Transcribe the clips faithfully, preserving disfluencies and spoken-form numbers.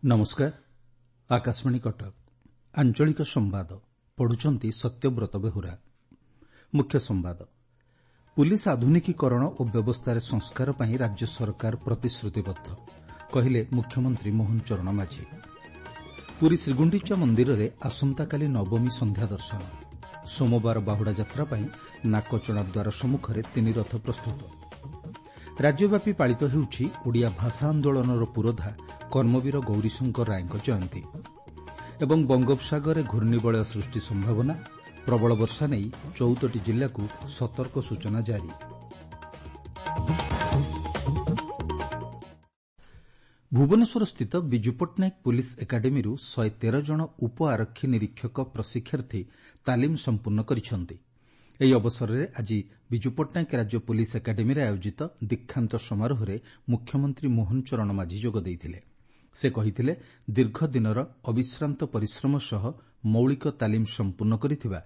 ନମସ୍କାର, ଆକାଶବାଣୀ କଟକ। ଆଞ୍ଚଳିକ ସମ୍ବାଦ ପଢୁଛନ୍ତି ସତ୍ୟବ୍ରତ ବେହୁରା। ମୁଖ୍ୟ ସମ୍ବାଦ। ପୁଲିସ ଆଧୁନିକୀକରଣ ଓ ବ୍ୟବସ୍ଥାରେ ସଂସ୍କାର ପାଇଁ ରାଜ୍ୟ ସରକାର ପ୍ରତିଶ୍ରୁତିବଦ୍ଧ, କହିଲେ ମୁଖ୍ୟମନ୍ତ୍ରୀ ମୋହନ ଚରଣ ମାଝୀ। ପୁରୀ ଶ୍ରୀଗୁଣ୍ଡିଚା ମନ୍ଦିରରେ ଆସନ୍ତାକାଲି ନବମୀ ସନ୍ଧ୍ୟା ଦର୍ଶନ। ସୋମବାର ବାହୁଡ଼ା ଯାତ୍ରା ପାଇଁ ନାକଚଣା ଦ୍ୱାର ସମ୍ମୁଖରେ ତିନି ରଥ ପ୍ରସ୍ତୁତ। ରାଜ୍ୟବ୍ୟାପୀ ପାଳିତ ହେଉଛି ଓଡ଼ିଆ ଭାଷା ଆନ୍ଦୋଳନର ପୁରୋଧା କର୍ମବୀର ଗୌରୀଶଙ୍କର ରାୟଙ୍କ ଜୟନ୍ତୀ। ଏବଂ ବଙ୍ଗୋପସାଗରରେ ଘୂର୍ଣ୍ଣିବଳୟ ସୃଷ୍ଟି ସମ୍ଭାବନା, ପ୍ରବଳ ବର୍ଷା ନେଇ ଚଉଦଟି ଜିଲ୍ଲାକୁ ସତର୍କ ସୂଚନା ଜାରି। ଭୁବନେଶ୍ୱରସ୍ଥିତ ବିଜୁ ପଟ୍ଟନାୟକ ପୁଲିସ ଏକାଡେମୀରୁ ଶହେ ତେର ଜଣ ଉପ ଆରକ୍ଷୀ ନିରୀକ୍ଷକ ପ୍ରଶିକ୍ଷାର୍ଥୀ ତାଲିମ ସମ୍ପୂର୍ଣ୍ଣ କରିଛନ୍ତି। ଏହି ଅବସରରେ ଆଜି ବିଜୁ ପଟ୍ଟନାୟକ ରାଜ୍ୟ ପୁଲିସ ଏକାଡେମୀରେ ଆୟୋଜିତ ଦୀକ୍ଷାନ୍ତ ସମାରୋହରେ ମୁଖ୍ୟମନ୍ତ୍ରୀ ମୋହନ ଚରଣ ମାଝୀ ଯୋଗ ଦେଇଥିଲେ। ସେ କହିଥିଲେ, ଦୀର୍ଘ ଦିନର ଅବିଶ୍ରାନ୍ତ ପରିଶ୍ରମ ସହ ମୌଳିକ ତାଲିମ ସମ୍ପୂର୍ଣ୍ଣ କରିଥିବା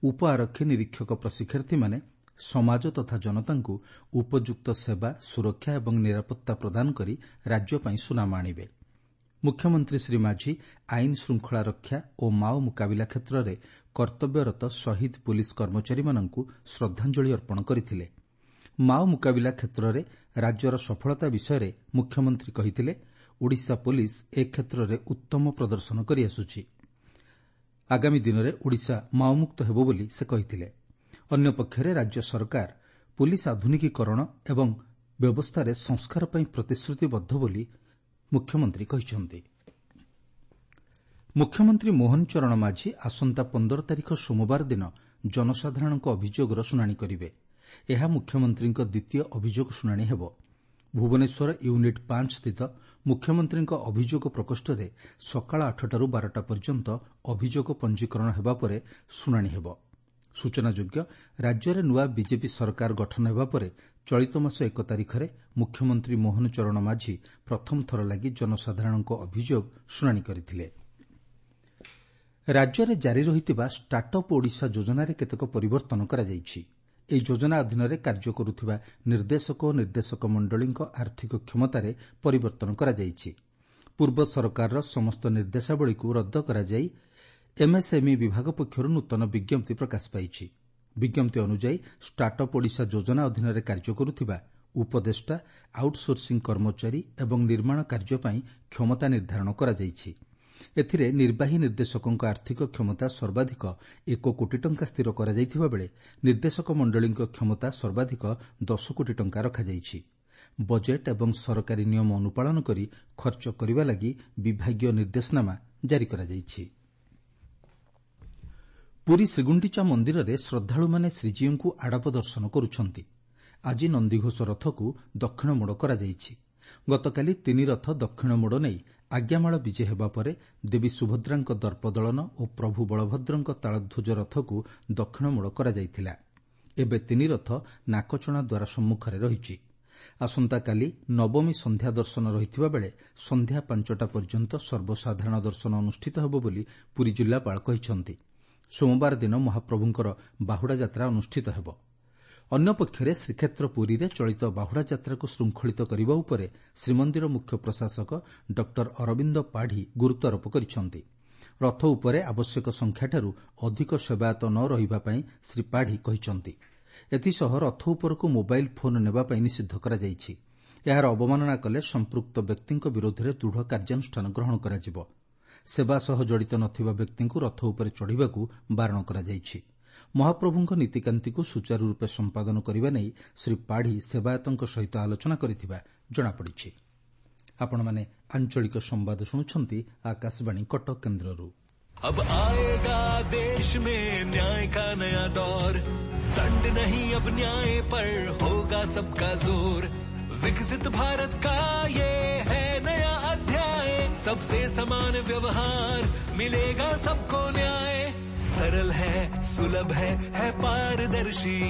ଉପ ଆରକ୍ଷୀ ନିରୀକ୍ଷକ ପ୍ରଶିକ୍ଷାର୍ଥୀମାନେ ସମାଜ ତଥା ଜନତାଙ୍କୁ ଉପଯୁକ୍ତ ସେବା, ସୁରକ୍ଷା ଏବଂ ନିରାପତ୍ତା ପ୍ରଦାନ କରି ରାଜ୍ୟ ପାଇଁ ସୁନାମ ଆଣିବେ। ମୁଖ୍ୟମନ୍ତ୍ରୀ ଶ୍ରୀ ମାଝୀ ଆଇନ ଶୃଙ୍ଖଳା ରକ୍ଷା ଓ ମାଓ ମୁକାବିଲା କ୍ଷେତ୍ରରେ କର୍ତ୍ତବ୍ୟରତ ଶହୀଦ ପୁଲିସ କର୍ମଚାରୀମାନଙ୍କୁ ଶ୍ରଦ୍ଧାଞ୍ଜଳି ଅର୍ପଣ କରିଥିଲେ। ମାଓ ମୁକାବିଲା କ୍ଷେତ୍ରରେ ରାଜ୍ୟର ସଫଳତା ବିଷୟରେ ମୁଖ୍ୟମନ୍ତ୍ରୀ କହିଥିଲେ, ଓଡ଼ିଶା ପୁଲିସ ଏ କ୍ଷେତ୍ରରେ ଉତ୍ତମ ପ୍ରଦର୍ଶନ କରିଆସୁଛି। ଆଗାମୀ ଦିନରେ ଓଡ଼ିଶା ମାଓମୁକ୍ତ ହେବ ବୋଲି ସେ କହିଥିଲେ। ଅନ୍ୟପକ୍ଷରେ ରାଜ୍ୟ ସରକାର ପୁଲିସ ଆଧୁନିକୀକରଣ ଏବଂ ବ୍ୟବସ୍ଥାରେ ସଂସ୍କାର ପାଇଁ ପ୍ରତିଶ୍ରୁତିବଦ୍ଧ ବୋଲି ମୁଖ୍ୟମନ୍ତ୍ରୀ କହିଛନ୍ତି। ମୁଖ୍ୟମନ୍ତ୍ରୀ ମୋହନ ଚରଣ ମାଝୀ ଆସନ୍ତା ପନ୍ଦର ତାରିଖ ସୋମବାର ଦିନ ଜନସାଧାରଣଙ୍କ ଅଭିଯୋଗର ଶୁଣାଣି କରିବେ। ଏହା ମୁଖ୍ୟମନ୍ତ୍ରୀଙ୍କ ଦ୍ୱିତୀୟ ଅଭିଯୋଗ ଶୁଣାଣି ହେବ। ଭୁବନେଶ୍ୱର ୟୁନିଟ୍ ପାଞ୍ଚ ସ୍ଥିତ ମୁଖ୍ୟମନ୍ତ୍ରୀଙ୍କ ଅଭିଯୋଗ ପ୍ରକୋଷ୍ଠରେ ସକାଳ ଆଠଟାରୁ ବାରଟା ପର୍ଯ୍ୟନ୍ତ ଅଭିଯୋଗ ପଞ୍ଜୀକରଣ ହେବା ପରେ ଶୁଣାଣି ହେବ। ସୂଚନାଯୋଗ୍ୟ, ରାଜ୍ୟରେ ନୂଆ ବିଜେପି ସରକାର ଗଠନ ହେବା ପରେ ଚଳିତ ମାସ ଏକ ତାରିଖରେ ମୁଖ୍ୟମନ୍ତ୍ରୀ ମୋହନ ଚରଣ ମାଝୀ ପ୍ରଥମ ଥର ଲାଗି ଜନସାଧାରଣଙ୍କ ଅଭିଯୋଗ ଶୁଣାଣି କରିଥିଲେ। ରାଜ୍ୟରେ ଜାରି ରହିଥିବା ଷ୍ଟାର୍ଟ ଅପ୍ ଓଡ଼ିଶା ଯୋଜନାରେ କେତେକ ପରିବର୍ତ୍ତନ କରାଯାଇଛି। ଏହି ଯୋଜନା ଅଧୀନରେ କାର୍ଯ୍ୟ କରୁଥିବା ନିର୍ଦ୍ଦେଶକ ଓ ନିର୍ଦ୍ଦେଶକ ମଣ୍ଡଳୀଙ୍କ ଆର୍ଥିକ କ୍ଷମତାରେ ପରିବର୍ତ୍ତନ କରାଯାଇଛି। ପୂର୍ବ ସରକାରର ସମସ୍ତ ନିର୍ଦ୍ଦେଶାବଳୀକୁ ରଦ୍ଦ କରାଯାଇ ଏମ୍ଏସ୍ଏମ୍ଇ ବିଭାଗ ପକ୍ଷରୁ ନୂତନ ବିଜ୍ଞପ୍ତି ପ୍ରକାଶ ପାଇଛି। ବିଜ୍ଞପ୍ତି ଅନୁଯାୟୀ ଷ୍ଟାର୍ଟ ଅପ୍ ଓଡ଼ିଶା ଯୋଜନା ଅଧୀନରେ କାର୍ଯ୍ୟ କରୁଥିବା ଉପଦେଷ୍ଟା, ଆଉଟ୍ସୋର୍ସିଂ କର୍ମଚାରୀ ଏବଂ ନିର୍ମାଣ କାର୍ଯ୍ୟ ପାଇଁ କ୍ଷମତା ନିର୍ଦ୍ଧାରଣ କରାଯାଇଛି। ଏଥିରେ ନିର୍ବାହୀ ନିର୍ଦ୍ଦେଶକଙ୍କ ଆର୍ଥିକ କ୍ଷମତା ସର୍ବାଧିକ ଏକ କୋଟି ଟଙ୍କା ସ୍ଥିର କରାଯାଇଥିବା ବେଳେ ନିର୍ଦ୍ଦେଶକ ମଣ୍ଡଳୀଙ୍କ କ୍ଷମତା ସର୍ବାଧିକ ଦଶ କୋଟି ଟଙ୍କା ରଖାଯାଇଛି। ବଜେଟ୍ ଏବଂ ସରକାରୀ ନିୟମ ଅନୁପାଳନ କରି ଖର୍ଚ୍ଚ କରିବା ଲାଗି ବିଭାଗୀୟ ନିର୍ଦ୍ଦେଶନାମା ଜାରି କରାଯାଇଛି। ପୁରୀ ଶ୍ରୀଗୁଣ୍ଡିଚା ମନ୍ଦିରରେ ଶ୍ରଦ୍ଧାଳୁମାନେ ଶ୍ରୀଜୀଉଙ୍କୁ ଆଡ଼ପ ଦର୍ଶନ କରୁଛନ୍ତି। ଆଜି ନନ୍ଦିଘୋଷ ରଥକୁ ଦକ୍ଷିଣ ମୋଡ଼ କରାଯାଇଛି। ଗତକାଲି ତିନି ରଥ ଦକ୍ଷିଣ ମୋଡ଼ ନେଇ ଆଜ୍ଞାମାଳ ବିଜେ ହେବା ପରେ ଦେବୀ ସୁଭଦ୍ରାଙ୍କ ଦର୍ପଦଳନ ଓ ପ୍ରଭୁ ବଳଭଦ୍ରଙ୍କ ତାଳଧ୍ୱଜ ରଥକୁ ଦକ୍ଷିଣ ମୋଡ଼ କରାଯାଇଥିଲା। ଏବେ ତିନି ରଥ ନାକଚଣା ଦ୍ୱାର ସମ୍ମୁଖରେ ରହିଛି। ଆସନ୍ତାକାଲି ନବମୀ ସନ୍ଧ୍ୟା ଦର୍ଶନ ରହିଥିବା ବେଳେ ସନ୍ଧ୍ୟା ପାଞ୍ଚଟା ପର୍ଯ୍ୟନ୍ତ ସର୍ବସାଧାରଣ ଦର୍ଶନ ଅନୁଷ୍ଠିତ ହେବ ବୋଲି ପୁରୀ ଜିଲ୍ଲାପାଳ କହିଛନ୍ତି। ସୋମବାର ଦିନ ମହାପ୍ରଭୁଙ୍କର ବାହୁଡ଼ା ଯାତ୍ରା ଅନୁଷ୍ଠିତ ହେବ। ଅନ୍ୟପକ୍ଷରେ ଶ୍ରୀକ୍ଷେତ୍ର ପୁରୀରେ ଚଳିତ ବାହୁଡ଼ା ଯାତ୍ରାକୁ ଶୃଙ୍ଖଳିତ କରିବା ଉପରେ ଶ୍ରୀମନ୍ଦିର ମୁଖ୍ୟ ପ୍ରଶାସକ ଡକ୍ଟର ଅରବିନ୍ଦ ପାଢ଼ୀ ଗୁରୁତ୍ୱାରୋପ କରିଛନ୍ତି। ରଥ ଉପରେ ଆବଶ୍ୟକ ସଂଖ୍ୟାଠାରୁ ଅଧିକ ସେବାୟତ ନ ରହିବା ପାଇଁ ଶ୍ରୀ ପାଢ଼ୀ କହିଛନ୍ତି। ଏଥିସହ ରଥ ଉପରକୁ ମୋବାଇଲ୍ ଫୋନ୍ ନେବା ପାଇଁ ନିଷିଦ୍ଧ କରାଯାଇଛି। ଏହାର ଅବମାନନା କଲେ ସମ୍ପୃକ୍ତ ବ୍ୟକ୍ତିଙ୍କ ବିରୋଧରେ ଦୃଢ଼ କାର୍ଯ୍ୟାନୁଷ୍ଠାନ ଗ୍ରହଣ କରାଯିବ। ସେବା ସହ ଜଡ଼ିତ ନଥିବା ବ୍ୟକ୍ତିଙ୍କୁ ରଥ ଉପରେ ଚଢ଼ିବାକୁ ବାରଣ କରାଯାଇଛି। ମହାପ୍ରଭୁଙ୍କ ନୀତିକାନ୍ତିକୁ ସୁଚାରୁରୂପେ ସମ୍ପାଦନ କରିବା ନେଇ ଶ୍ରୀ ପାଢ଼ୀ ସେବାୟତଙ୍କ ସହିତ ଆଲୋଚନା କରିଥିବା ଜଣାପଡ଼ିଛି। ଆପଣମାନେ ଆଞ୍ଚଳିକ ସମ୍ବାଦ ଶୁଣୁଛନ୍ତି ଆକାଶବାଣୀ କଟକ କେନ୍ଦ୍ରରୁ। अब आएगा देश में न्याय का नया दौर, दंड नहीं अब न्याय पर होगा सबका जोर। विकसित भारत का ये है नया अध्याय, सबसे समान व्यवहार मिलेगा सबको न्याय। सरल है, सुलभ है, है पारदर्शी,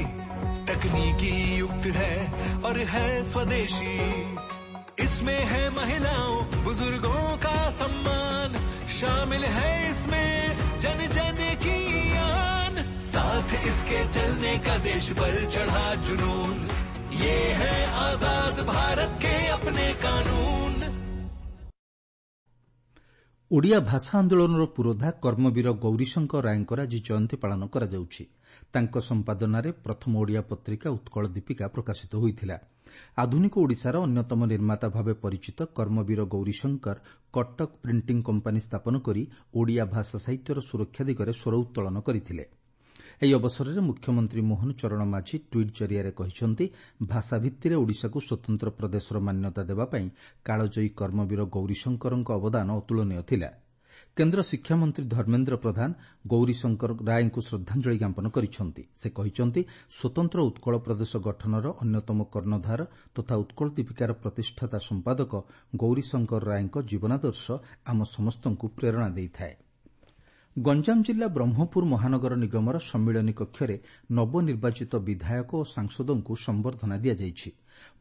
तकनीकी युक्त है और है स्वदेशी। इसमें है महिलाओं बुजुर्गों का सम्मान, शामिल है इसमें जन जन की आन। साथ इसके चलने का देश पर चढ़ा जुनून, ये है आजाद भारत के अपने कानून। ଓଡ଼ିଆ ଭାଷା ଆନ୍ଦୋଳନର ପୁରୋଧା କର୍ମବୀର ଗୌରୀଶଙ୍କର ରାୟଙ୍କର ଆଜି ଜୟନ୍ତୀ ପାଳନ କରାଯାଉଛି। ତାଙ୍କ ସମ୍ପାଦନାରେ ପ୍ରଥମ ଓଡ଼ିଆ ପତ୍ରିକା ଉତ୍କଳ ଦୀପିକା ପ୍ରକାଶିତ ହୋଇଥିଲା। ଆଧୁନିକ ଓଡ଼ିଶାର ଅନ୍ୟତମ ନିର୍ମାତା ଭାବେ ପରିଚିତ କର୍ମବୀର ଗୌରୀଶଙ୍କର କଟକ ପ୍ରିଣ୍ଟିଂ କମ୍ପାନୀ ସ୍ଥାପନ କରି ଓଡ଼ିଆ ଭାଷା ସାହିତ୍ୟର ସୁରକ୍ଷା ଦିଗରେ ସ୍ୱର ଉତ୍ତୋଳନ କରିଥିଲେ। ଏହି ଅବସରରେ ମୁଖ୍ୟମନ୍ତ୍ରୀ ମୋହନ ଚରଣ ମାଝୀ ଟ୍ୱିଟ୍ ଜରିଆରେ କହିଛନ୍ତି, ଭାଷାଭିତ୍ତିରେ ଓଡ଼ିଶାକୁ ସ୍ୱତନ୍ତ୍ର ପ୍ରଦେଶର ମାନ୍ୟତା ଦେବା ପାଇଁ କାଳଜୟୀ କର୍ମବୀର ଗୌରୀଶଙ୍କରଙ୍କ ଅବଦାନ ଅତୁଳନୀୟ ଥିଲା। କେନ୍ଦ୍ର ଶିକ୍ଷାମନ୍ତ୍ରୀ ଧର୍ମେନ୍ଦ୍ର ପ୍ରଧାନ ଗୌରୀଶଙ୍କର ରାୟଙ୍କୁ ଶ୍ରଦ୍ଧାଞ୍ଜଳି ଜ୍ଞାପନ କରିଛନ୍ତି। ସେ କହିଛନ୍ତି, ସ୍ୱତନ୍ତ୍ର ଉତ୍କଳ ପ୍ରଦେଶ ଗଠନର ଅନ୍ୟତମ କର୍ଣ୍ଣଧାର ତଥା ଉତ୍କଳ ଦୀପିକାର ପ୍ରତିଷ୍ଠାତା ସମ୍ପାଦକ ଗୌରୀଶଙ୍କର ରାୟଙ୍କ ଜୀବନାଦର୍ଶ ଆମ ସମସ୍ତଙ୍କୁ ପ୍ରେରଣା ଦେଇଥାଏ। ଗଞ୍ଜାମ ଜିଲ୍ଲା ବ୍ରହ୍ମପୁର ମହାନଗର ନିଗମର ସମ୍ମିଳନୀ କକ୍ଷରେ ନବନିର୍ବାଚିତ ବିଧାୟକ ଓ ସାଂସଦଙ୍କୁ ସମ୍ବର୍ଦ୍ଧନା ଦିଆଯାଇଛି।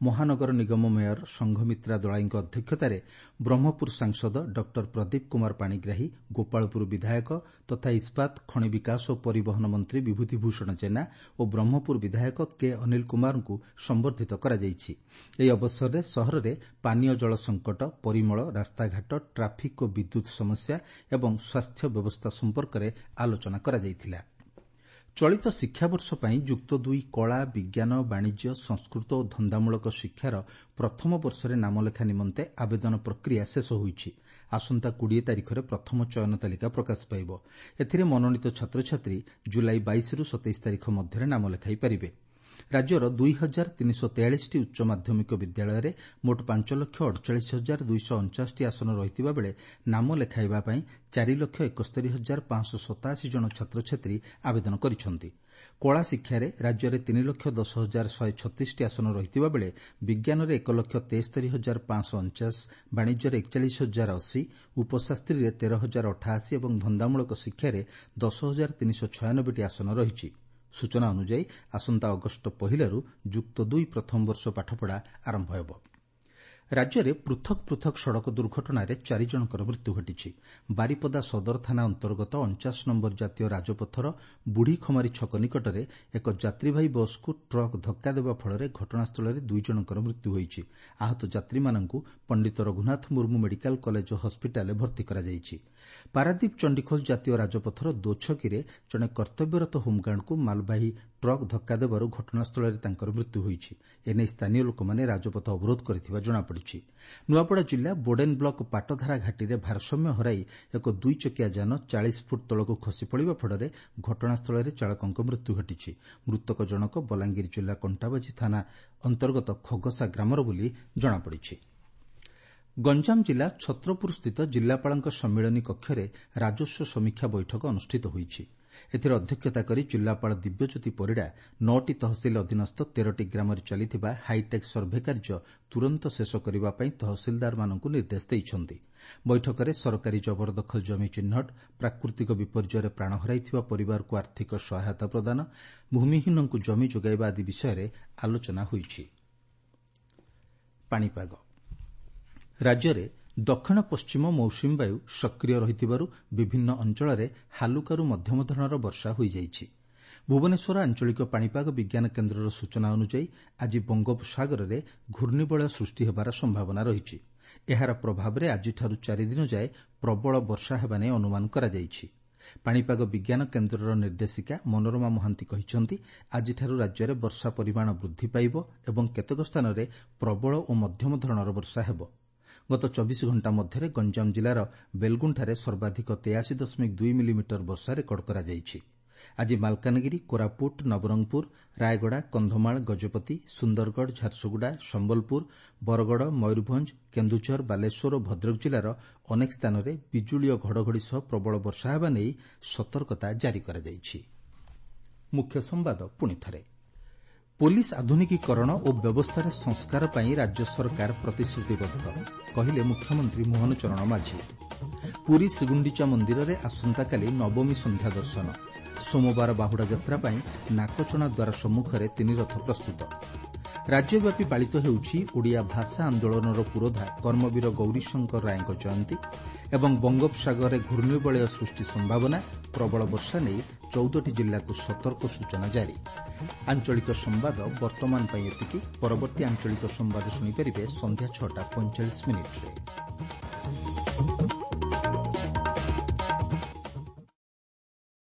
ମହାନଗର ନିଗମ ମେୟର ସଂଘମିତ୍ରା ଦଳାଇଙ୍କ ଅଧ୍ୟକ୍ଷତାରେ ବ୍ରହ୍ମପୁର ସାଂସଦ ଡକ୍ଟର ପ୍ରଦୀପ କୁମାର ପାଣିଗ୍ରାହୀ, ଗୋପାଳପୁର ବିଧାୟକ ତଥା ଇସ୍ପାତ, ଖଣି ବିକାଶ ଓ ପରିବହନ ମନ୍ତ୍ରୀ ବିଭୂତି ଭୂଷଣ ଜେନା ଓ ବ୍ରହ୍ମପୁର ବିଧାୟକ କେ ଅନିଲ କୁମାରଙ୍କୁ ସମ୍ବର୍ଦ୍ଧିତ କରାଯାଇଛି। ଏହି ଅବସରରେ ସହରରେ ପାନୀୟ ଜଳ ସଂକଟ, ପରିମଳ, ରାସ୍ତାଘାଟ, ଟ୍ରାଫିକ୍ ଓ ବିଦ୍ୟୁତ୍ ସମସ୍ୟା ଏବଂ ସ୍ୱାସ୍ଥ୍ୟ ବ୍ୟବସ୍ଥା ସମ୍ପର୍କରେ ଆଲୋଚନା କରାଯାଇଥିଲା। ଚଳିତ ଶିକ୍ଷାବର୍ଷ ପାଇଁ ଯୁକ୍ତ ଦୁଇ କଳା, ବିଜ୍ଞାନ, ବାଣିଜ୍ୟ, ସଂସ୍କୃତ ଓ ଧନ୍ଦାମୂଳକ ଶିକ୍ଷାର ପ୍ରଥମ ବର୍ଷରେ ନାମଲେଖା ନିମନ୍ତେ ଆବେଦନ ପ୍ରକ୍ରିୟା ଶେଷ ହୋଇଛି। ଆସନ୍ତା କୋଡ଼ିଏ ତାରିଖରେ ପ୍ରଥମ ଚୟନ ତାଲିକା ପ୍ରକାଶ ପାଇବ। ଏଥିରେ ମନୋନୀତ ଛାତ୍ରଛାତ୍ରୀ ଜୁଲାଇ ବାଇଶରୁ ସତେଇଶ ତାରିଖ ମଧ୍ୟରେ ନାମ ଲେଖାଇ ପାରିବେ। ରାଜ୍ୟର ଦୁଇ ହଜାର ତିନିଶହ ତେୟାଳିଶଟି ଉଚ୍ଚ ମାଧ୍ୟମିକ ବିଦ୍ୟାଳୟରେ ମୋଟ ପାଞ୍ଚ ଲକ୍ଷ ଅଡ଼ଚାଳିଶ ହଜାର ଦୁଇଶହ ଅଣଚାଶଟି ଆସନ ରହିଥିବା ବେଳେ ନାମ ଲେଖାଇବା ପାଇଁ ଚାରି ଲକ୍ଷ ଏକସ୍ତରୀ ହଜାର ପାଞ୍ଚଶହ ସତାଅଶୀ ଜଣ ଛାତ୍ରଛାତ୍ରୀ ଆବେଦନ କରିଛନ୍ତି। କଳା ଶିକ୍ଷାରେ ରାଜ୍ୟରେ ତିନି ଲକ୍ଷ ଦଶ ହଜାର ଶହେ ଛତିଶଟି ଆସନ ରହିଥିବା ବେଳେ ବିଜ୍ଞାନରେ ଏକ ଲକ୍ଷ ତେସ୍ତରୀ ହଜାର ପାଞ୍ଚଶହ ଅଣଚାଶ, ବାଣିଜ୍ୟରେ ଏକଚାଳିଶ ହଜାର ଅଶୀ, ଉପଶାସ୍ତ୍ରୀରେ ତେର ହଜାର ଅଠାଅଶୀ ଏବଂ ଧନ୍ଦାମୂଳକ ଶିକ୍ଷାରେ ଦଶ ହଜାର ତିନିଶହ ଛୟାନବେଟି ଆସନ ରହିଛି। ସୂଚନା ଅନୁଯାୟୀ ଆସନ୍ତା ଅଗଷ୍ଟ ପହିଲାରୁ ଯୁକ୍ତ ଦୁଇ ପ୍ରଥମ ବର୍ଷ ପାଠପଢ଼ା ଆରମ୍ଭ ହେବ। ରାଜ୍ୟରେ ପୃଥକ୍ ପୃଥକ୍ ସଡ଼କ ଦୁର୍ଘଟଣାରେ ଚାରି ଜଣଙ୍କର ମୃତ୍ୟୁ ଘଟିଛି। ବାରିପଦା ସଦର ଥାନା ଅନ୍ତର୍ଗତ ଅଣଚାଶ ନମ୍ବର ଜାତୀୟ ରାଜପଥର ବୁଢ଼ୀଖମାରୀ ଛକ ନିକଟରେ ଏକ ଯାତ୍ରୀବାହୀ ବସ୍କୁ ଟ୍ରକ୍ ଧକ୍କା ଦେବା ଫଳରେ ଘଟଣାସ୍ଥଳରେ ଦୁଇ ଜଣଙ୍କର ମୃତ୍ୟୁ ହୋଇଛି। ଆହତ ଯାତ୍ରୀମାନଙ୍କୁ ପଣ୍ଡିତ ରଘୁନାଥ ମୁର୍ମୁ ମେଡିକାଲ କଲେଜ ଓ ହସ୍ପିଟାଲରେ ଭର୍ତ୍ତି କରାଯାଇଛି। ପାରାଦୀପ ଚଣ୍ଡିଖୋଲ ଜାତୀୟ ରାଜପଥର ଦୋଛକିରେ ଜଣେ କର୍ତ୍ତବ୍ୟରତ ହୋମଗାର୍ଡଙ୍କୁ ମାଲବାହୀ ଟ୍ରକ୍ ଧକ୍କା ଦେବାରୁ ଘଟଣାସ୍ଥଳରେ ତାଙ୍କର ମୃତ୍ୟୁ ହୋଇଛି। ଏନେଇ ସ୍ଥାନୀୟ ଲୋକମାନେ ରାଜପଥ ଅବରୋଧ କରିଥିବା ଜଣାପଡ଼ିଛି। ନୂଆପଡ଼ା ଜିଲ୍ଲା ବୋଡେନ୍ ବ୍ଲକ ପାଟଧାରା ଘାଟିରେ ଭାରସାମ୍ୟ ହରାଇ ଏକ ଦୁଇଚକିଆ ଯାନ ଚାଳିଶ ଫୁଟ ତଳକୁ ଖସି ପଡ଼ିବା ଫଳରେ ଘଟଣାସ୍ଥଳରେ ଚାଳକଙ୍କ ମୃତ୍ୟୁ ଘଟିଛି। ମୃତକ ଜଣକ ବଲାଙ୍ଗୀର ଜିଲ୍ଲା କଣ୍ଟାବାଜି ଥାନା ଅନ୍ତର୍ଗତ ଖଗସା ଗ୍ରାମର ବୋଲି ଜଣାପଡ଼ିଛି। ଗଞ୍ଜାମ ଜିଲ୍ଲା ଛତ୍ରପୁରସ୍ଥିତ ଜିଲ୍ଲାପାଳଙ୍କ ସମ୍ମିଳନୀ କକ୍ଷରେ ରାଜସ୍ୱ ସମୀକ୍ଷା ବୈଠକ ଅନୁଷ୍ଠିତ ହୋଇଛି। ଏଥିରେ ଅଧ୍ୟକ୍ଷତା କରି ଜିଲ୍ଲାପାଳ ଦିବ୍ୟଜ୍ୟୋତି ପରିଡ଼ା ନଅଟି ତହସିଲ ଅଧୀନସ୍ଥ ତେରଟି ଗ୍ରାମରେ ଚାଲିଥିବା ହାଇଟେକ୍ ସର୍ଭେ କାର୍ଯ୍ୟ ତୁରନ୍ତ ଶେଷ କରିବା ପାଇଁ ତହସିଲଦାରମାନଙ୍କୁ ନିର୍ଦ୍ଦେଶ ଦେଇଛନ୍ତି। ବୈଠକରେ ସରକାରୀ ଜବରଦଖଲ ଜମି ଚିହ୍ନଟ, ପ୍ରାକୃତିକ ବିପର୍ଯ୍ୟୟରେ ପ୍ରାଣ ହରାଇଥିବା ପରିବାରକୁ ଆର୍ଥିକ ସହାୟତା ପ୍ରଦାନ, ଭୂମିହୀନଙ୍କୁ ଜମି ଯୋଗାଇବା ଆଦି ବିଷୟରେ ଆଲୋଚନା ହୋଇଛି। ପାଣିପାଗ ରାଜ୍ୟରେ ଦକ୍ଷିଣ ପଶ୍ଚିମ ମୌସୁମୀ ବାୟୁ ସକ୍ରିୟ ରହିଥିବାରୁ ବିଭିନ୍ନ ଅଞ୍ଚଳରେ ହାଲୁକାରୁ ମଧ୍ୟମ ଧରଣର ବର୍ଷା ହୋଇଯାଇଛି। ଭୁବନେଶ୍ୱର ଆଞ୍ଚଳିକ ପାଣିପାଗ ବିଜ୍ଞାନ କେନ୍ଦ୍ରର ସୂଚନା ଅନୁଯାୟୀ ଆଜି ବଙ୍ଗୋପସାଗରରେ ଘୂର୍ଣ୍ଣିବଳୟ ସୃଷ୍ଟି ହେବାର ସମ୍ଭାବନା ରହିଛି। ଏହାର ପ୍ରଭାବରେ ଆଜିଠାରୁ ଚାରିଦିନ ଯାଏ ପ୍ରବଳ ବର୍ଷା ହେବା ନେଇ ଅନୁମାନ କରାଯାଇଛି। ପାଣିପାଗ ବିଜ୍ଞାନ କେନ୍ଦ୍ରର ନିର୍ଦ୍ଦେଶିକା ମନୋରମା ମହାନ୍ତି କହିଛନ୍ତି, ଆଜିଠାରୁ ରାଜ୍ୟରେ ବର୍ଷା ପରିମାଣ ବୃଦ୍ଧି ପାଇବ ଏବଂ କେତେକ ସ୍ଥାନରେ ପ୍ରବଳ ଓ ମଧ୍ୟମ ଧରଣର ବର୍ଷା ହେବ। ଗତ ଚବିଶ ଘଣ୍ଟା ମଧ୍ୟରେ ଗଞ୍ଜାମ ଜିଲ୍ଲାର ବେଲଗୁଣ୍ଠାରେ ସର୍ବାଧିକ ତେୟାଅଶୀ ଦଶମିକ ଦୁଇ ମିଲିମିଟର ବର୍ଷା ରେକର୍ଡ କରାଯାଇଛି। ଆଜି ମାଲକାନଗିରି, କୋରାପୁଟ, ନବରଙ୍ଗପୁର, ରାୟଗଡ଼ା, କନ୍ଧମାଳ, ଗଜପତି, ସୁନ୍ଦରଗଡ଼, ଝାରସୁଗୁଡ଼ା, ସମ୍ବଲପୁର, ବରଗଡ଼, ମୟୂରଭଞ୍ଜ, କେନ୍ଦୁଝର, ବାଲେଶ୍ୱର ଓ ଭଦ୍ରକ ଜିଲ୍ଲାର ଅନେକ ସ୍ଥାନରେ ବିଜୁଳି ଓ ଘଡ଼ଘଡ଼ି ସହ ପ୍ରବଳ ବର୍ଷା ହେବା ନେଇ ସତର୍କତା ଜାରି କରାଯାଇଛି। ମୁଖ୍ୟ ସମ୍ବାଦ ପୁଣିଥରେ। ପୋଲିସ ଆଧୁନିକୀକରଣ ଓ ବ୍ୟବସ୍ଥାରେ ସଂସ୍କାର ପାଇଁ ରାଜ୍ୟ ସରକାର ପ୍ରତିଶ୍ରୁତିବଦ୍ଧ, କହିଲେ ମୁଖ୍ୟମନ୍ତ୍ରୀ ମୋହନ ଚରଣ ମାଝୀ। ପୁରୀ ଶ୍ରୀଗୁଣ୍ଡିଚା ମନ୍ଦିରରେ ଆସନ୍ତାକାଲି ନବମୀ ସନ୍ଧ୍ୟା ଦର୍ଶନ। ସୋମବାର ବାହୁଡ଼ା ଯାତ୍ରା ପାଇଁ ନାକଚଣା ଦ୍ୱାର ସମ୍ମୁଖରେ ତିନି ରଥ ପ୍ରସ୍ତୁତ। ରାଜ୍ୟବ୍ୟାପୀ ପାଳିତ ହେଉଛି ଓଡ଼ିଆ ଭାଷା ଆନ୍ଦୋଳନର ପୁରୋଧା କର୍ମବୀର ଗୌରୀଶଙ୍କର ରାୟଙ୍କ ଜୟନ୍ତୀ ଏବଂ ବଙ୍ଗୋପସାଗରରେ ଘୂର୍ଣ୍ଣିବଳୟ ସୃଷ୍ଟି ସମ୍ଭାବନା, ପ୍ରବଳ ବର୍ଷା ନେଇ ଚଉଦଟି ଜିଲ୍ଲାକୁ ସତର୍କ ସୂଚନା ଜାରି। ଆଞ୍ଚଳିକ ସମ୍ବାଦ ବର୍ତ୍ତମାନ ପାଇଁ ଏତିକି। ପରବର୍ତ୍ତୀ ଆଞ୍ଚଳିକ ସମ୍ବାଦ ଶୁଣିପାରିବେ ସନ୍ଧ୍ୟା ଛଅଟା ପଇଁଚାଳିଶ ମିନିଟ୍ରେ।